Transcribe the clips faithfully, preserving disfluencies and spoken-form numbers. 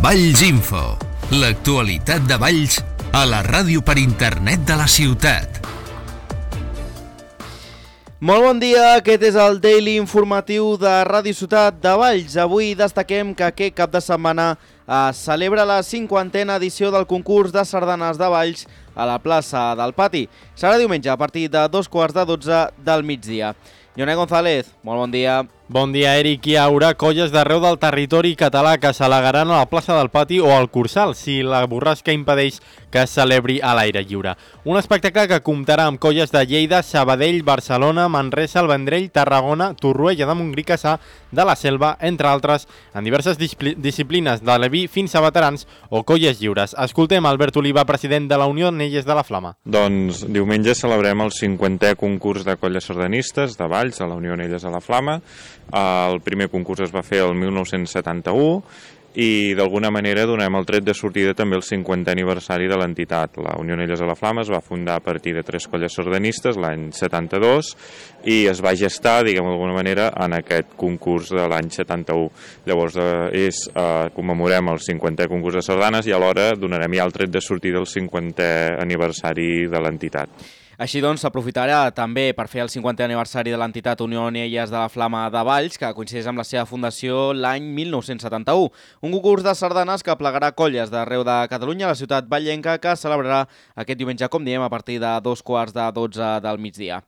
Valls Info, l'actualitat de Valls a la ràdio per internet de la ciutat. Molt bon dia, aquest és el Daily Informatiu de Ràdio Ciutat de Valls. Avui destaquem que aquest cap de setmana es celebra la cinquantena edició del concurs de sardanes de Valls a la plaça del Pati. Serà diumenge a partir de dos quarts de dotze del migdia. Ioné González, molt bon dia. Bon dia, Eric. Hi haurà colles d'arreu del territori català que s'alegaran a la plaça del Pati o al Cursal si la borrasca impedeix que es celebri a l'aire lliure. Un espectacle que comptarà amb colles de Lleida, Sabadell, Barcelona, Manresa, el Vendrell, Tarragona, Torroella de Montgrí, Cassà, de la Selva, entre altres, en diverses disciplines de l'E V I fins a veterans o colles lliures. Escoltem Albert Oliva, president de la Unió Onelles de la Flama. Doncs diumenge celebrem el cinquantè concurs de colles sardanistes de Valls a la Unió Onelles de la Flama. El primer concurs es va fer el mil nou-cents setanta-u i d'alguna manera donem el tret de sortida també el cinquantè aniversari de l'entitat. La Unió Onelles de la Flama es va fundar a partir de tres colles sardanistes l'any setanta-dos i es va gestar, diguem d'alguna manera, en aquest concurs de l'any setanta-u. Llavors eh, és, eh, commemorem el cinquantè concurs de sardanes i alhora donarem ja el tret de sortida del cinquantè aniversari de l'entitat. Així doncs, s'aprofitarà també per fer el cinquantè aniversari de l'entitat Unió Onelles de la Flama de Valls, que coincideix amb la seva fundació l'any mil nou-cents setanta-u. Un concurs de sardanes que plegarà colles d'arreu de Catalunya a la ciutat vallenca, que celebrarà aquest diumenge, com diem, a partir de dos quarts de dotze del migdia.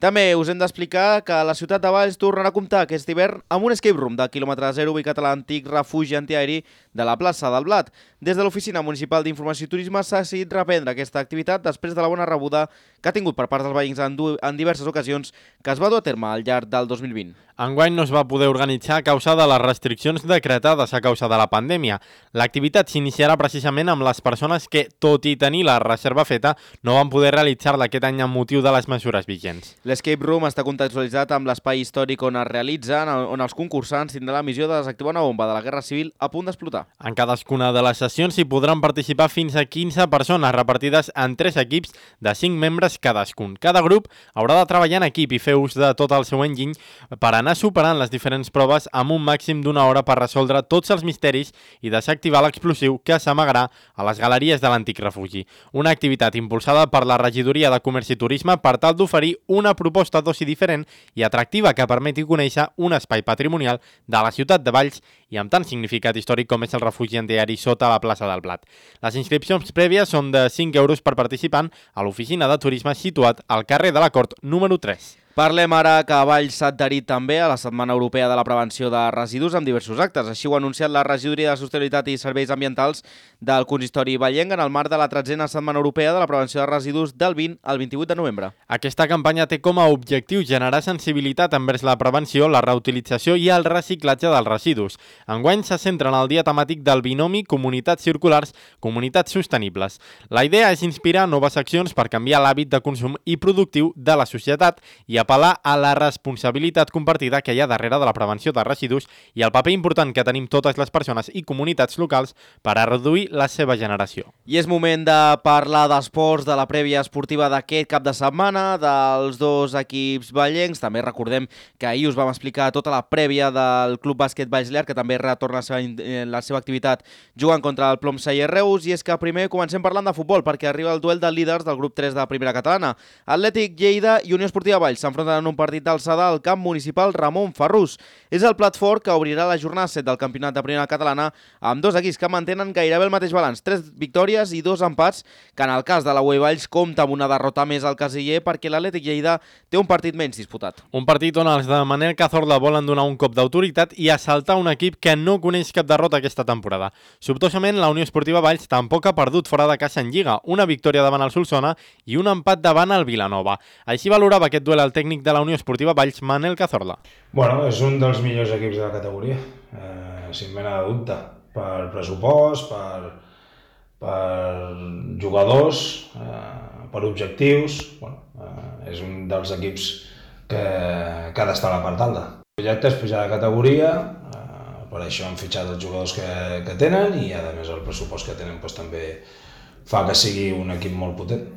També us hem d'explicar que la ciutat de Valls tornarà a comptar aquest hivern amb un escape room de quilòmetre zero ubicat a l'antic refugi antiaeri de la plaça del Blat. Des de l'Oficina Municipal d'Informació i Turisme s'ha decidit reprendre aquesta activitat després de la bona rebuda que ha tingut per part dels veïns en, en diverses ocasions que es va dur a terme al llarg del dos mil vint. Enguany no es va poder organitzar a causa de les restriccions decretades a causa de la pandèmia. L'activitat s'iniciarà precisament amb les persones que, tot i tenir la reserva feta, no van poder realitzar-la aquest any amb motiu de les mesures vigents. L'escape room està contextualitzat amb l'espai històric on es realitza, on els concursants tindran la missió de desactivar una bomba de la Guerra Civil a punt d'explotar. En cadascuna de les sessions hi podran participar fins a quinze persones repartides en tres equips de cinc membres cadascun. Cada grup haurà de treballar en equip i fer ús de tot el seu enginy per anar superant les diferents proves amb un màxim d'una hora per resoldre tots els misteris i desactivar l'explosiu que s'amagarà a les galeries de l'antic refugi. Una activitat impulsada per la Regidoria de Comerç i Turisme per tal d'oferir una proposta d'oci diferent i atractiva que permeti conèixer un espai patrimonial de la ciutat de Valls i amb tant significat històric com és el refugi antiaeri sota la plaça del Blat. Les inscripcions prèvies són de cinc euros per participant a l'oficina de turisme situat al carrer de la Cort número tres. Parlem ara que Valls s'ha adherit també a la Setmana Europea de la Prevenció de Residus amb diversos actes. Així ho ha anunciat la Regidoria de Sostenibilitat i Serveis Ambientals del Consistori Vallenc en el marc de la tretzena Setmana Europea de la Prevenció de Residus del vint al vint-i-vuit de novembre. Aquesta campanya té com a objectiu generar sensibilitat envers la prevenció, la reutilització i el reciclatge dels residus. Enguany se centra en el dia temàtic del binomi Comunitats Circulars, Comunitats Sostenibles. La idea és inspirar noves accions per canviar l'hàbit de consum i productiu de la societat i apel·lar a la responsabilitat compartida que hi ha darrere de la prevenció de residus i el paper important que tenim totes les persones i comunitats locals per a reduir la seva generació. I és moment de parlar d'esports, de la prèvia esportiva d'aquest cap de setmana, dels dos equips vallencs. També recordem que ahir us vam explicar tota la prèvia del Club Bàsquet Valls Llar, que també retorna la seva, la seva activitat jugant contra el Plomsaller Reus. I és que primer comencem parlant de futbol, perquè arriba el duel de líders del grup tres de la primera catalana. Atlètic Lleida i Unió Esportiva Valls s'enfronten en un partit d'alçada al camp municipal Ramon Farrús. És el plat fort que obrirà la jornada set del campionat de primera catalana amb dos equips que mantenen gairebé el mateix balanç, tres victòries i dos empats, que en el cas de la U E Valls compta amb una derrota més al casiller perquè l'Atlètic Lleida té un partit menys disputat. Un partit on els de Manel Cazorla volen donar un cop d'autoritat i assaltar un equip que no coneix cap derrota aquesta temporada. Sobtosament, la Unió Esportiva Valls tampoc ha perdut fora de casa en Lliga, una victòria davant el Solsona i un empat davant el Vilanova. Així valorava aquest duel el tècnic de la Unió Esportiva Valls, Manel Cazorla. Bueno, és un dels millors equips de la categoria, eh, sin mena de dubte, per pressupost, per, per jugadors, eh, per objectius. Bueno, eh, és un dels equips que, que ha d'estar a la part alta. El projecte és pujar de categoria, eh, per això han fitxat els jugadors que, que tenen i a més el pressupost que tenen doncs, també fa que sigui un equip molt potent.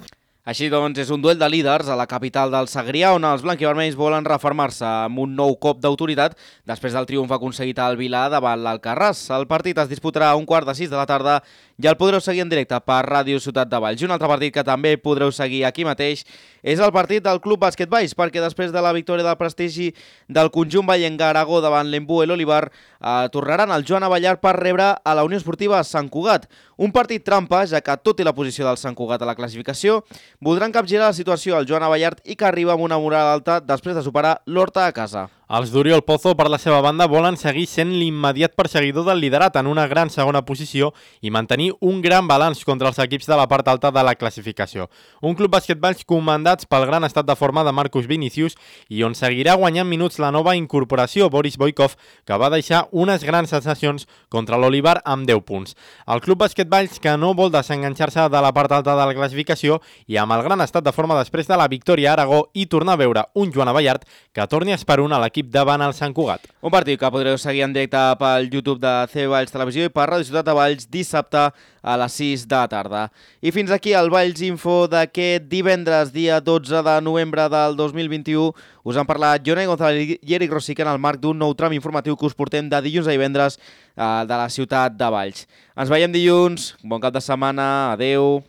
Així doncs, és un duel de líders a la capital del Segrià, on els blanquivermells volen refermar-se amb un nou cop d'autoritat després del triomf aconseguit al Vilà davant l'Alcarràs. El partit es disputarà a un quart de sis de la tarda i el podreu seguir en directe per Ràdio Ciutat de Valls. I un altre partit que també podreu seguir aquí mateix és el partit del Club Bàsquet Valls, perquè després de la victòria del prestigi del conjunt vallenc a Aragó davant l'Embú i l'Olivar, eh, tornaran al Joan Abellar per rebre a la Unió Esportiva Sant Cugat. Un partit trampa, ja que tot i la posició del Sant Cugat a la classificació, voldran capgirar la situació al Joan Abellart i que arriba amb una moral alta després de superar l'Horta a casa. Els d'Oriol Pozo, per la seva banda, volen seguir sent l'immediat perseguidor del liderat en una gran segona posició i mantenir un gran balanç contra els equips de la part alta de la classificació. Un club bàsquet Valls comandats pel gran estat de forma de Marcus Vinicius i on seguirà guanyant minuts la nova incorporació, Boris Boikov, que va deixar unes grans sensacions contra l'Olivar amb deu punts. El club bàsquet Valls, que no vol desenganxar-se de la part alta de la classificació i amb el gran estat de forma després de la victòria a Aragó i tornar a veure un Joan Abellart que torni a esperar a l'equip davant el Sant Cugat. Un partit que podreu seguir en directe pel YouTube de C Valls Televisió i per Ràdio Ciutat de Valls dissabte a les sis de la tarda. I fins aquí el Valls Info d'aquest divendres, dia dotze de novembre del dos mil vint-i-u. Us han parlat Jonai González i Eric Rosique en el marc d'un nou tram informatiu que us portem de dilluns a divendres eh, de la ciutat de Valls. Ens veiem dilluns, bon cap de setmana, adeu.